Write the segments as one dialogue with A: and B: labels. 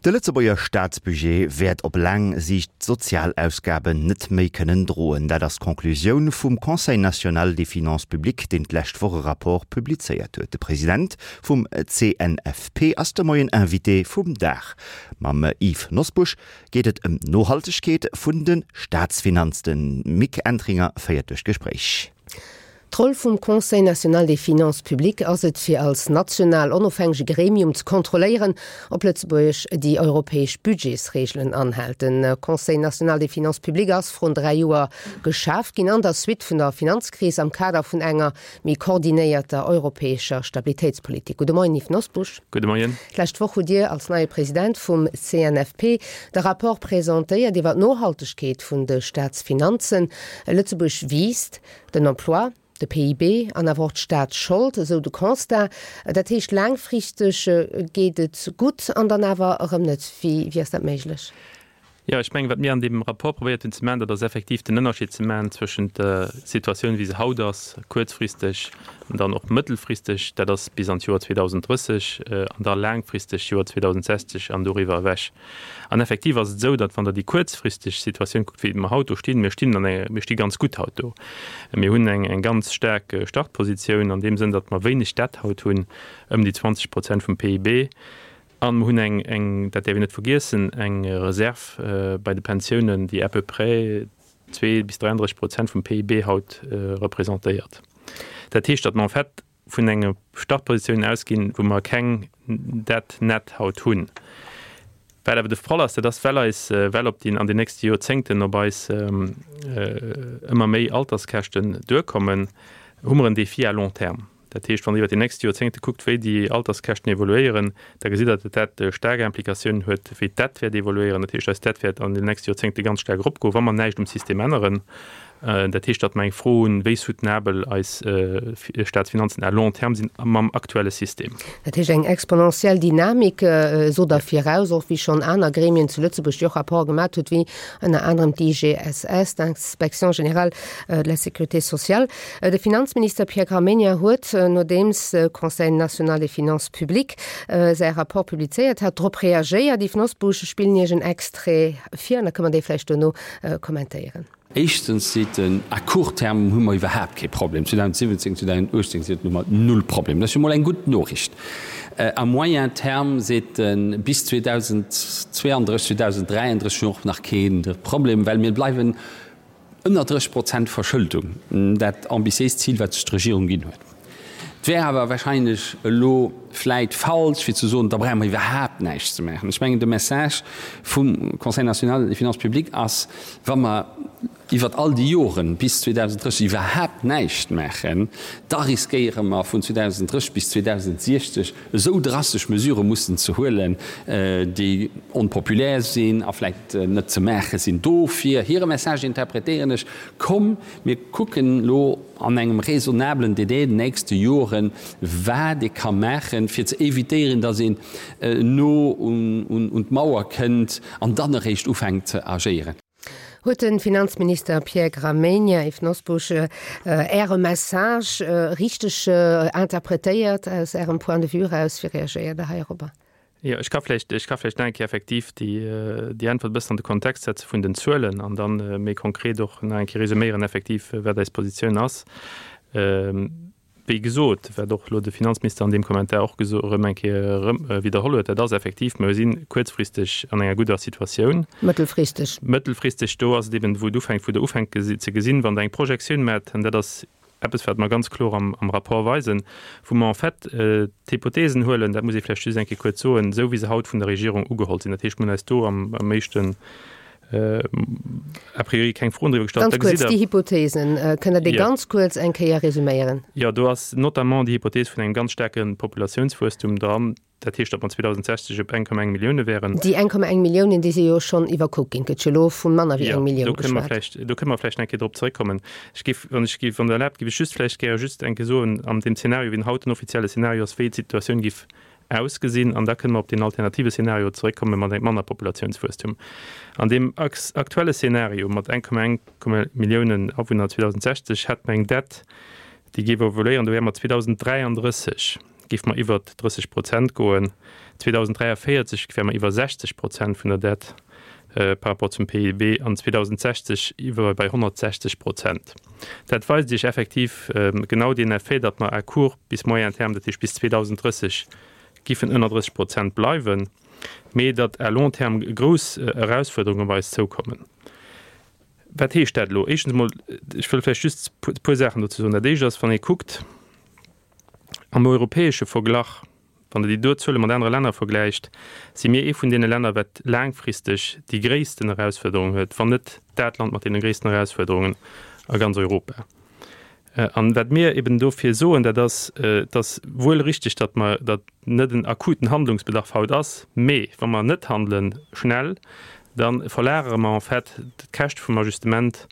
A: De Lëtzebuerger Staatsbudget wäert op laang Siicht d'Sozialausgaben net méi kënnen droen. Dat ass d'Conclusioun vum Conseil national des finances publiques, deen d'lescht Woch e Rapport publizéiert huet. De President vum CNFP ass de Moien Invité vum Dag. Mam Yves Nosbusch geet et ëm d'Nohaltegkeet vun de Staatsfinanz. De Mick Entringer féiert duerch d'Gespréich.
B: D'Roll vum Conseil national des finances publiques ass et, fir als national onofhängege Gremium ze kontrolléieren, ob Lëtzebuerg déi europäesch Budgetsreegelen anhält. De Conseil national des finances publiques ass vrun 3 Joer geschaf ginn an der Suite vun der Finanzkris am Kader vun enger méi koordinéierter europäescher Stabilitéitspolitik. Gudde Moien, Yves Nosbusch.
C: Gudde Moien.
B: D'lescht Woch hutt Dir als neie President vum CNFP de Rapport presentéiert iwwer d'Nohaltegkeet vun de Staatsfinanzen. Lëtzebuerg wiisst. Den Emploi, de PIB an awer och d'Staatsschold, esou de Constat. Dat heescht, laangfristeg geet et gutt an dann awer erëm net. Wéi ass dat méiglech?
C: Jo, ech mengen, wat mir an deem Rapport probéiert hunn ze maachen, dat ass effektiv den Ënnerscheed ze maachen zwëschent der Situatioun, wéi se haut ass, kuerzfristeg an dann och mëttelfristeg, dat ass bis an d'Joer 2030, an da laangfristeg d'Joer 2060 an doriwwer ewech. An effektiv ass et esou, datt wann Der déi kuerzfristeg Situatioun kuckt, wéi mer haut do stinn, mir stinn an enger, mir sti ganz gutt haut do. Mir hunn eng, eng ganz staark Startpositioun an deem Sënn, datt mer wéineg Dett haut hunn, ëm déi 20 Prozent vum PIB. A mer hunn eng, eng, dat däerf een net vergiessen, eng Reserv bei de Pensiounen, déi à peu près 2 bis 33 Prozent vum PIB haut representéiert. Dat heescht, datt mer en fait vun enger Startpositioun ausginn, wou mer keng Dette nette haut hunn. Wat awer de Fall ass, dat ass, well eis, well op den, an den nächste Joerzéngten op eis ëmmer méi Alterskäschten duerkommen, hu mer en Défi à long terme. Dat heescht, wann Der iwwert déi nächst Joerzéngte kuckt, wéi déi Alterskäschten evoluéieren, da gesitt Der, datt dat staark Implikatiounen huet, wéi d'Dette wäert evoluéieren. Dat heescht, eis Dette wäert an den nächste Joerzéngte ganz staark eropgoen, wa mer näischt um System änneren. Dat heescht, datt mer eng Fro hunn, wéi soutenabel eis Staatsfinanzen à long terme sinn mam aktuelle System.
B: Dat heescht, eng exponentiell Dynamik, sot Der viraus, och wéi schonn aner Gremien zu Lëtzebuerg, déi och Rapporte gemat huet, wéi ënner anerem d'IGSS, d'Inspection générale de la sécurité sociale. De Finanzminister Pierre Gramegna huet, nodeems de Conseil national des finances publiques säi Rapport publizéiert hat, drop reagéiert. Yves Nosbusch, ech spillen Iech en Extrait vir an da kënne mer dee vläicht duerno kommentéieren.
D: Éischtens seet en, à court terme hu mer iwwerhaapt kee Problem. 2017, 2018 seet en, hu mer null Problem. Dat ass jo mol eng gutt Noriicht. À moyen terme seet en, bis 2032, 2033 hu mer och nach kee Problem, well mir bleiwen ënner 30 Prozent Verschëldung, dat ambitiéist Zil, wat sech d'Regierung ginn huet. Et wär awer wahrscheinlech elo vläit falsch, fir ze soen, da brauche mer iwwerhaapt näischt ze maachen. Ech mengen, de Message vum Conseil national des finances publiques ass, wa mer iwwert all déi Joren bis 2030 iwwerhaapt näischt maachen, da riskéiere mer vun 2030 bis 2060 esou drastesch Mesurë mussen ze huelen, déi onpopulär sinn a vläit net ze maache sinn. Dofir hire Message interpretéieren ech, Komm, mir kucken elo, an engem raisonnablen Délai, den nächste Joren, wat ee ka maachen, fir ze évitéieren, datt een no un d'Mauer kënnt an dann eréischt ufänkt ze agéieren.
B: Huet de Finanzminister Pierre Gramegna, Yves Nosbusch, Äre Message richteg interpretéiert aus Ärem Point de vue eraus? Wéi reagéiert Der heirobber?
C: Jo, ech ka vläicht, ech ka vläicht nach eng Kéier effektiv déi, déi Äntwert e bëssen an de Kontext setze vun den Zuelen an dann méi konkret och nach eng Kéier resuméieren effektiv, wat eis Positioun ass. Wéi gesot, wat och elo de Finanzminister an deem Kommentar och geso erëm eng Kéier erëm widderholl huet, dat ass effektiv, mer si kuerzfristeg an enger gudder Situatioun.
B: Mëttelfristeg.
C: Mëttelfristeg, do ass et eben, wou et ufänkt, wou Der ufänkt ze gesinn, wann Der eng Projektioun maacht, an dat ass Eppes, wat mer ganz kloer am Rapport weisen, wou mer en fait d'Hypothesen huelen, dat muss ee vläicht just eng Kéier kuerz soen, esou wéi se haut vun der Regierung ugeholl sinn. Dat heescht, mir hunn eis do am éischten a priori keng Froen driwwer
B: gestallt. Ganz kuerz, déi Hypothesen, kënnt Der déi ganz kuerz eng Kéier resuméieren?
C: Jo, do ass notamment déi Hypothees vun engem ganz staarke Populatiounswuesstum dran. Dat heescht, datt mer 2060 op 1,1 Millioune wären.
B: Déi 1,1 Milliounen, déi si jo schonn iwwerkuckt ginn. Et gëtt jo elo vu manner wéi eng Millioun
C: geschwat. Jo, do kënne mer vläicht, do kënne mer vläicht nach eng Kéier drop zeréckkommen. Ech géif, wann ech géif, wann Der erlaabt, géif ech just vläicht gäre just eng Kéier soen, an deem Zeenario, wéi en haut den offizielle Zeenario ass, wéi d'Situatioun géif ausgesinn. An da kënne mer op deen alternative Zeenario zeréckkomme mat engem manner Populatiounswuesstum. An deem aktuelle Zeenario mat 1,1 Milliounen Awunner 2060 hätt mer eng Dett, déi géif evoluéieren, do wäre mer 2033. géife mer iwwert 30 Prozent goen, 2043 wäre mer iwwer 60 Prozent vun der Dette par rapport zum PIB an 2060 iwwer bei 160 Prozent. Dat weist Iech effektiv genau deen Effet, datt mer à court bis moyen terme, dat heescht bis 2030, giffen ënner 30 Prozent bleiwen, mee datt à long terme grouss Erausfuerderungen op eis zoukommen. Wat heescht dat elo? Éischtens emol, ech wëll vläicht just e puer Saachen dozou soen. Dat Éischt ass, wann ee kuckt am europäesche Verglach, wann Der déi do Zuele mat anere Länner vergläicht, si mir ee vun deene Länner, wat laangfristeg déi gréissten Erausfuerderung huet, wann net dat Land mat deene gréissten Erausfuerderungen a ganz Europa. An wat mir eben dofir soen, dat ass, et ass wuel richtig, datt mer, datt net en akuten Handlungsbedarf haut ass, mee wa mer net handelen, schnell, da verlagere mer en fait d'Käscht vum Ajustement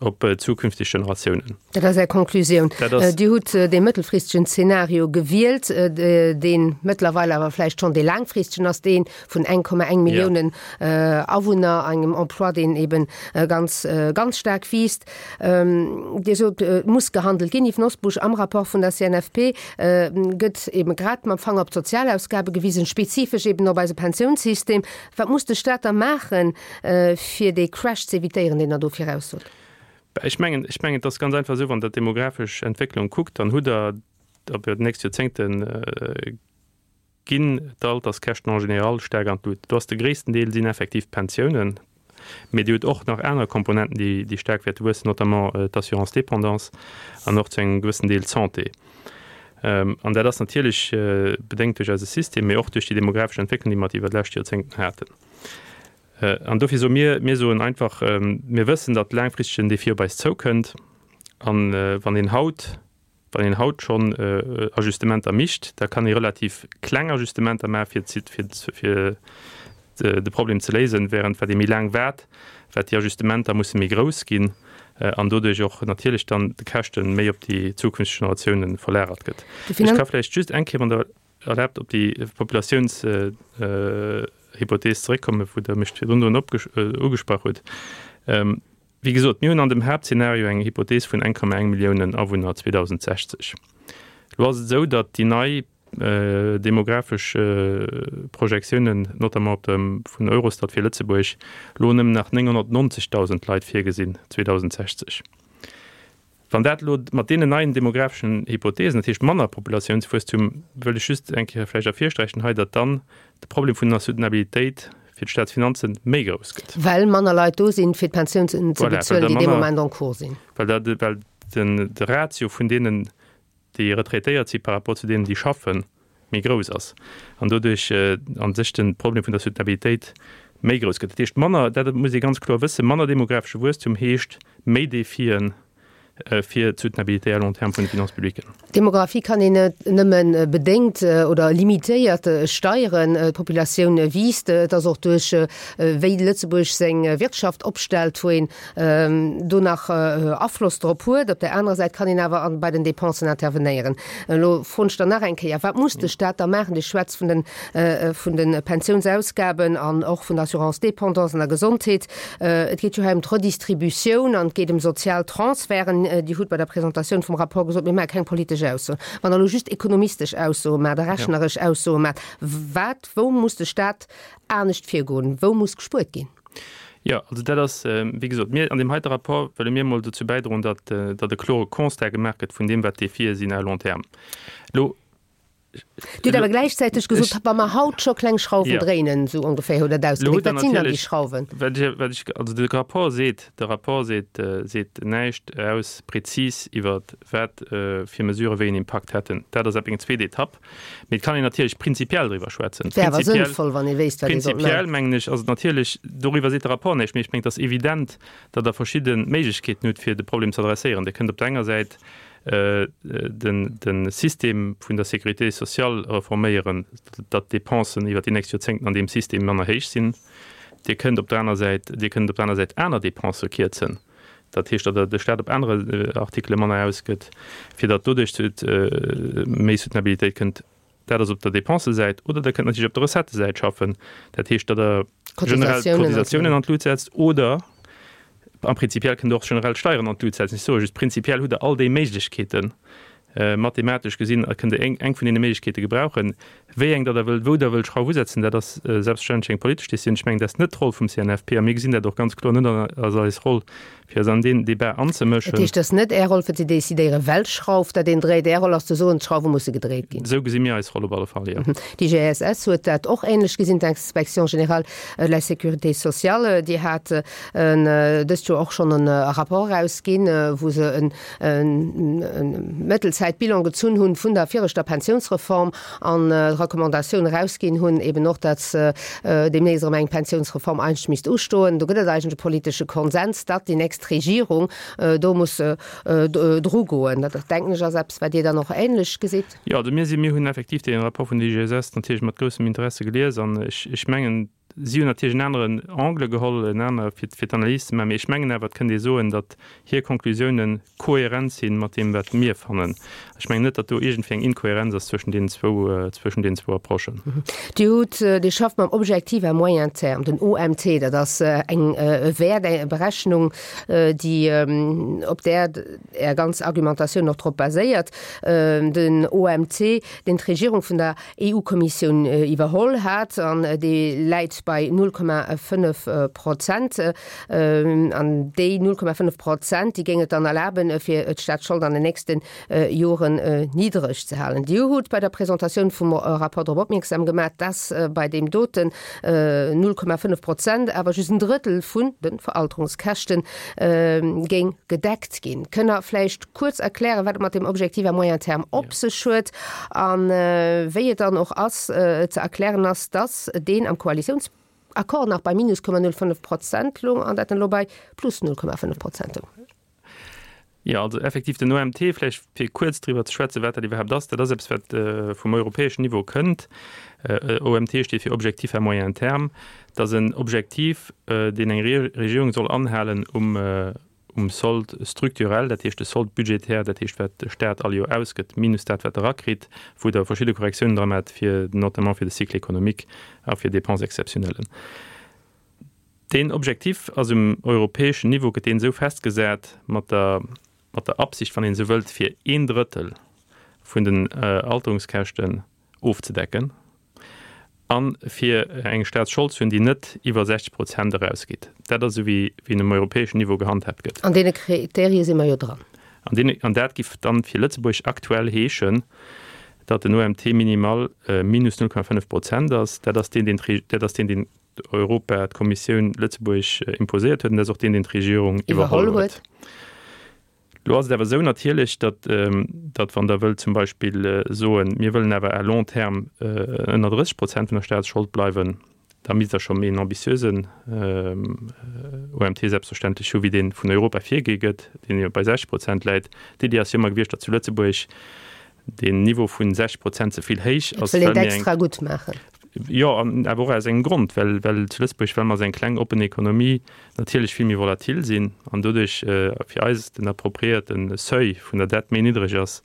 C: op zukünfteg Generatiounen.
B: Dat ass Är Konklusioun. Dir hutt dee mëttelfristegen Zeenario gewielt, dee mëttlerweil awer vläicht schonn dee laangfristegen ass, dee vun 1,1 Milliounen Awunner, engem Emploi, deen eben ganz, ganz staark wiisst. Dir sot, et muss gehandelt ginn. Yves Nosbusch, am Rapport vun der CNFP gëtt eben grad mam Fanger op d'Sozialausgabe gewisen, spezifesch eben op eise Pensiounssystem. Wat muss de Staat da maachen, fir dee Crash ze evitéieren, deen Der do viraussot?
C: Ech mengen, ech mengen, et ass ganz einfach esou, wann Der d'demografesch Entwécklung kuckt, dann hutt Der op déi nächst Joerzéngten, ginn d'Alterskäschten en général staark an d'Lut. Do ass de gréissten Deel sinn effektiv d'Pensiounen, mee Dir hutt och nach aner Komponenten, déi, déi staark wäerte wuessen, notamment d'Assurance dépendance an och zu engem gewëssen Deel d'Santé. An dat ass natierlech bedéngt duerch eise System, mee och duerch déi demografesch Entwécklung, déi mer iwwer d'lescht Joerzéngten haten. An dofir soe mir, mir soen einfach, mir wëssen, datt laangfristeg en Défi op eis zoukënnt. An wann een haut Wann een haut schonn Ajustementer micht, da kann ee relativ kleng Ajustementer maachen, fir de Problem ze léisen, während wat ee méi laang waart, wat déi Ajustementer musse méi grouss ginn an doduerch och natierlech dann de Käschte méi op déi zukünfteg Generatiounen verlagert gëtt. Ech ka vläicht just eng Kéier, wann Der erlaabt, op déi Populatiounshypothees zeréckkommen, wou Der mech virdrun drun ugesprach hutt. Wéi gesot, mir hunn an dem Haaptzenario eng Hypothees vun 1,1 Milliounen Awunner 2060. Elo ass et esou, datt déi nei demografesch Projektiounen, notamment op dem vun Eurostat fir Lëtzebuerg, elo nëmmen nach 990.000 Leit virgesinn 2060. Wann dat elo mat deenen neien demografeschen Hypothesen, dat heescht manner Populatiounswuesstum, wëll ech just eng Kéier vläicht ervirsträichen hei, datt dann de Problem vun der Soutenabilitéit fir d'Staatsfinanze méi grouss gëtt.
B: Well manner Leit do sinn, fir d'Pensiounen ze bezuelen, déi dee Moment en cours sinn.
C: Well dat, well den, de Ratio vun deenen, déi retraitéiert si par rapport zu deenen, déi schaffen, méi grouss ass an doduerch a sech de Problem vun der Soutenabilitéit méi grouss gëtt. Dat heescht manner, dat muss ee ganz kloer wëssen, manner demografesche Wuesstum heescht méi Defien fir d'Soutenabilité à long terme vun de Finances publiques.
B: D'Demografie kann een net nëmme bedéngt oder limitéiert steieren. D'Populatioun wiisst. Et ass och duerch wéi Lëtzebuerg seng Wirtschaft opstellt, wou een do nach Afloss drop huet. Op där anerer Säit kann een awer bei den Dépensen intervenéieren. Elo froen ech dann nach eng Kéier, Wat muss de Stat da maachen? Dir schwätzt vun den, vun de Pensiounsausgaben an och vun der Assurance dépendance an der Gesondheet. Et geet jo hei ëm d'Redistributioun an et geet ëm sozial Transferten. Dir hutt bei der Presentatioun vum Rapport gesot, Mir maache keng politesch Aussoen. Wann Der elo just ekonomistesch Aussoe maacht a rechneresch Aussoe maacht, wat, wou muss de Stat anescht virgoen? Wou muss gespuert ginn?
C: Jo, also dat ass, wéi gesot, mir an deem heite Rapport wëlle mir emol dozou bäidroen, datt, datt e klore Constat gemaach gëtt vun deem, wat d'Defie sinn à long terme. Elo.
B: Dir hutt awer gläichzäiteg gesot, wa mer haut scho kleng Schrauwen dréinen, esou ongeféier hutt Der et ausgedréckt. Wat sinn dann déi Schrauwen?
C: Wat ech, wat ech, also de Rapport seet, de Rapport seet, seet näischt aus prezis iwwer wat fir Mesurë wéi en Impakt hätten. Dat ass eng zweet Etapp. Mee et kann een natierlech prinzipiell driwwer schwätzen.
B: Et wär awer sënnvoll, wann ee wéisst, wat ee sollt maachen.
C: Prinzipiell, mengen ech, ass et natierlech, doriwwer seet de Rapport näischt, mee ech mengen, et ass evident, datt Der verschidde Méiglechkeeten hutt, fir de Problem ze adresséieren. Dir kënnt op der enger Säit de System vun der Sécurité sociale reforméieren, datt d'Dépensen iwwert déi nächst Joerzéngten an deem System manner héich sinn. Dir kënnt op der aner Säit, Dir kënnt op der aner Säit aner Dépensë kierzen. Dat heescht, datt de Staat op anere Artikele manner ausgëtt, fir datt doduerch zu méi Soutenabilitéit kënnt. Dat ass op der Dépensesäit. Oder Der kënnt natierlech op der Recettesäit schaffen. Dat heescht, datt Der generell d'Cotisatiounen an d'Lut setzt oder a prinzipiell kënnt Der och generell d'Steieren an d'Lut setzen. Ech soe just, prinzipiell hutt Der all déi Méiglechkeeten. Mathematesch gesinn kënnt Der eng vun deene Méiglechkeete gebrauchen. Wéi eng Der da wëllt, wou Der wëllt Schrauf usetzen, dat ass selbstverständlech eng politesch Décisioun. Ech mengen, dat ass net d'Roll vum CNFP a mir gesinn dat och ganz kloer net als eis Roll, fir eis an deen Débat anzemëschen.
B: Dat heescht, et ass net Är Roll, fir ze decidéieren, welch Schrauf dat een dréit. Är Roll ass ze soen, d'Schrauwe musse gedréit ginn.
C: Esou gesi mir eis Roll op alle Fall, jo.
B: D'IGSS huet dat och ähnlech gesinn, d'Inspection générale de la sécurité sociale. Déi hat dëst Joer och schonn e Rapport erausginn, wou se en Mëttelzäitbilan gezunn hunn vun der viregter Pensiounsreform an d'Recommandatioun erausginn hunn, eben och, datt deemnächst erëm eng Pensiounsreform eigentlech misst ustoen. Do gëtt et eigentlech e politesche Konsens, datt déi nächst Regierung do muss drugoen. Dat, denken ech, ass eppes, wat Dir dann och ähnlech gesitt.
C: Jo, also mir sinn, mir hunn effektiv dee Rapport vun der IGSS natierlech mat groussem Interesse gelies an ech, ech mengen, Si hunn natierlech en aneren Angle geholl, en aner fir fir d'Analys ze maachen, mee ech mengen awer, et kënnt ee soen, datt hir Konklusiounen kohärent si mat deem, wat mir fannen. Ech mengen net, datt do iergendwéi eng Inkohärenz ass zwëschen deenen zwou, zwëschen deenen zwou Approchen.
B: Dir hutt, Dir schafft mam Objectif à moyen terme, den OMT, dat ass eng e Wäert, eng Berechnung, déi, op där Är ganz Argumentatioun och drop baséiert. Den OMT, deen d'Regierung vun der EU-Kommissioun iwwerholl hat, an dee läit bei 0,5 Prozent. An déi 0,5 Prozent, déi géing et dann erlaben, fir d'Staatsschold an den nächste Joren niddreg ze halen. Dir hutt bei der Presentatioun vum Rapport drop opmierksam gemaach, dass bei deem doten 0,5 Prozent awer just en Drëttel vun de Veralterungskäschte géing gedeckt ginn. Kënnt Der vläicht kuerz erklären, wat et mat deem Objectif à moyen terme op sech huet a wéi et dann och ass ze erklären ass, dass deen am Koalitiounsaccord nach bei minus 0,05 Prozent loung an dat dann elo bei plus 0,5 Prozent loung?
C: Jo, also effektiv den OMT, vläicht fir kuerz driwwer ze schwätzen, wat dat iwwerhaapt ass, dat ass eppes, wat vum europäeschen Niveau kënnt. OMT steet fir Objectif à moyen terme. Dat ass en Objektiv, deen eng Regierung soll anhalen um um Solde structurel, dat heescht de Solde budgétaire, dat heescht wat de Staat all Joer ausgëtt, minus dat wat e rakritt, wou Der verschidde Korrektiounen dra maacht, fir notamment fir de Cycle économique a fir Dépenses exceptionnelles. Deen Objectif ass um europäeschen Niveau, gëtt deen esou festgesat mat der, mat der Absicht, wann een esou wëllt, fir een Drëttel vun den Alterungskäschten ofzedecken a fir eng Staatsschold ze hunn, déi net iwwer 60 Prozent erausgeet. Dat ass esou, wéi en um europäeschen Niveau gehandhaabt gëtt.
B: An deene Kriterie si mer jo dran.
C: An deene, an dat giff dann fir Lëtzebuerg aktuell heeschen, datt den OMT minimal minus 0,5 Prozent ass. Dat ass deen, deen d'Re, dat ass deen, deen Europa, d'Kommissioun Lëtzebuerg imposéiert huet, an dat ass och deen, deen d'Regierung iwwerholl huet. Elo ass et awer esou natierlech, datt, datt wann Der wëllt zum Beispill soen, mir wëllen awer à long terme ënner 30 Prozent vun der Staatsschold bleiwen, da misst Der scho méi en ambitiösen OMT selbstverständlech hu wéi dee vun Europa virgi gëtt, deen jo bei 60 Prozent läit. D'Iddi ass jo ëmmer gewiescht, datt zu Lëtzebuerg deen Niveau vun 60 Prozent ze vill héich
B: ass. Et wëll een et extra gutt maachen.
C: Jo, an awer och aus engem Grond, well, well zu Lëtzebuerg, well mer als eng kleng oppen Ekonomie natierlech vill méi volatil sinn an doduerch fir eis den appropriéierte Seuil vun der Dette méi niddreg ass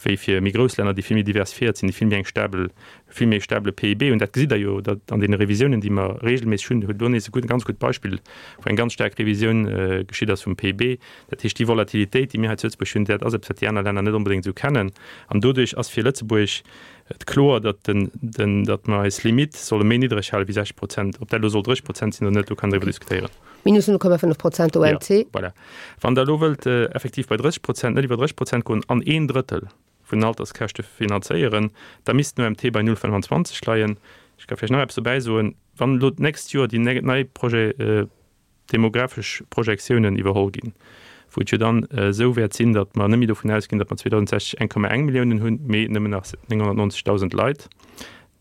C: wéi fir méi grouss Länner, déi vill méi diversifiéiert sinn, déi vill méi eng stabel, vill méi e stabele PIB hunn. Dat gesitt Der jo, datt an deene Revisiounen, déi mer regelméisseg hunn, hutt elo nees e gutt, ganz gutt Beispill, wou eng ganz staark Revisioun geschitt ass vum PIB. Dat heescht, déi Volatilitéit, déi mir hei zu Lëtzebuerg hunn, dat ass eppes, wat déi aner Länner net onbedéngt esou kennen. An doduerch ass fir Lëtzebuerg et kloer, datt den, den, datt mer eis Limitt solle méi niddreg hale wéi 60 Prozent. Ob dat elo soll 30 Prozent sinn oder net, do kann een driwwer diskutéieren.
B: Minus 0,5 Prozent OMT.
C: Jo, voilà. Wann Der elo wëllt effektiv bei 30 Prozent, net iwwer 30 Prozent goen an een Drëttel vun den Alterskäschte finanzéieren, da misst den OMT bei 0,25 leien. Ech ka vläicht nach eppes dobäi soen, Wann elo d'nächst Joer déi nei Projet, demographesch Projektiounen iwwerholl ginn, wou et jo dann esou wäert sinn, datt mer net méi dovun ausginn, datt mer 2060 1,1 Milliounen hunn, mee nëmmen nach 990.000 Leit,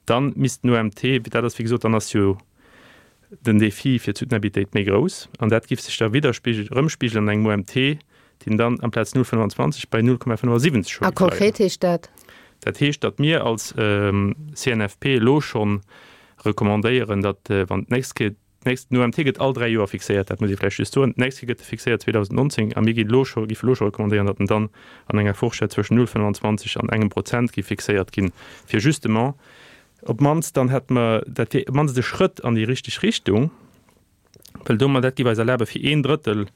C: da misst den OMT, dat ass wéi gesot, dann ass jo den Défi fir d'Soutenabilitéit méi grouss an dat giff sech da widderspigel, erëmspigelen an engem OMT, deen dann amplaz 0,25 bei 0,75
B: scho
C: A
B: géif leien. konkret heescht dat?
C: Dat heescht, datt mir als CNFP elo schonn recommandéieren, datt wann d'nächst Kéier, D'nächst, den OMT gëtt all 3 Joer fixéiert, dat muss ee vläicht just soen. D'nächst Kéier gëtt e fixéiert 2019 a mir ginn elo scho, géife elo scho recommandéieren, datt en dann an enger Fourchette zwëschen 0,25 an engem Prozent géif fixéiert ginn, fir justement op d'mannst dann hätte mer, dat wier op d'mannst e Schrëtt an déi richteg Richtung, well domat, dat géif eis erlabe fir een Drëttel.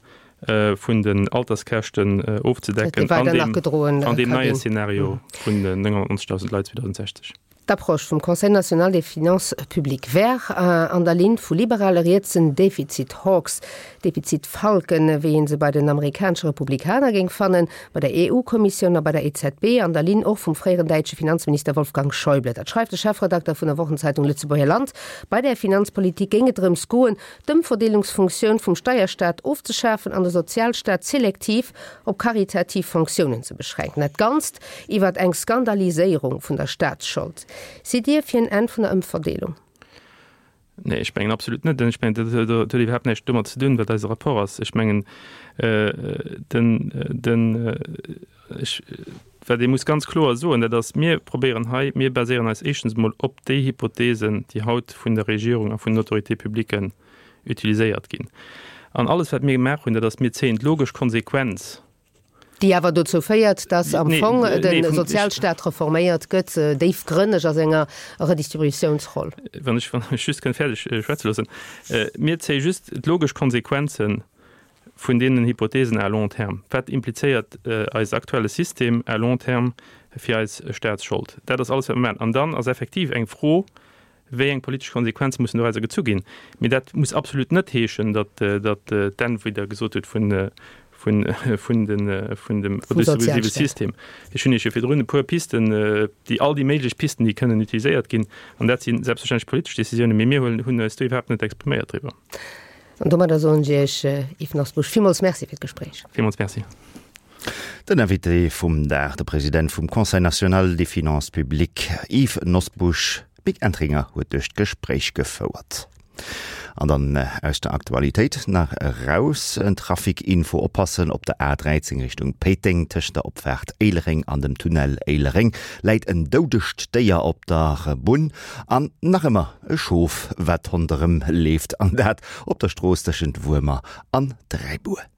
C: vun den Alterskäschten ofzedecken an deem neie Szenario vun den 99.000 Leit 2060.
B: D'Approche vum Conseil national des finances publiques wär an der Linn vu liberale rietsen Defizit-Hawks, Defizit-Falken, wéi ee se bei den amerikanesche Republikaner géing fannen, bei der EU-Kommissioun a bei der EZB, an der Linn och vum fréieren däitsche Finanzminister Wolfgang Schäuble. Dat schreift de Chefredakter vun der Wochenzeitung Lëtzebuerger Land. Bei där Finanzpolitik géing et drëms goen, d'Ëmverdeelungsfunktioun vum Steierstaat ofzeschafen an de Sozialstaat selektiv op karitativ Fonctiounen ze beschränken. Dat Ganzt iwwert eng Skandaliséierung vun der Staatsschold. Sidd Dir fir en Enn vun der Ëmverdeelung?
C: Nee, ech mengen absolut net. Ech mengen, dat huet iwwerhaapt näischt domat ze dinn, wat eise Rapport ass. Ech mengen, den, den, ech, wat ee muss ganz kloer soen, dat ass, mir probéieren hei, mir baséieren eis éischtens emol op déi Hypothesen, déi haut vun der Regierung a vun den Autorités publiques utiliséiert ginn. An alles, wat mir gemaach hunn, dat ass, mir zéien d'logesch Konsequenz,
B: Déi awer dozou féiert, dass am Fong de Sozialstaat reforméiert gëtt, déifgrënneg a senger Redistributiounsroll.
C: Wann ech mech just kënnt fäerdeg schwätze loossen. Mir zéie just d'logesch Konsequenze vun deenen Hypothesen à long terme. Wat implizéiert eise aktuelle System à long terme fir eis Staatsschold? Dat ass alles, wat mir maachen. An dann ass effektiv eng Fro, Wéi eng politesch Konsequenze mussen dorauser gezu ginn? Mee dat muss absolut net heeschen, datt d'Enn, wéi Der gesot hutt, vun dem redistributive System. Ech hunn Iech jo virdrun e puer Pisten, déi all déi méiglech Pisten, déi kënnen utiliséiert ginn, an dat si selbstverständlech politesch Décisiounen, mee mir hunn eis do iwwerhaapt net expriméiert driwwer.
B: An domadder soen ech Iech, Yves Nosbusch, villmools Merci fir d'Gespréich.
C: Villmools Merci.
A: Den Invité vum Dag, de President vum Conseil national des finances publiques, Yves Nosbusch. D'Mick Entringer huet duerch d'Gespréich gefouert. An dann aus der Aktualitéit nach eraus, en Trafic-Info, Oppassen op der A13 Richtung Péiteng, tëschent der Opfaart Éilereng an dem Tunnel Éilereng läit en doudegt Déier op der Bunn an nach ëmmer e Schof wat ronderëm leeft an dat op der Strooss tëschent Wuermer an Dräibuer.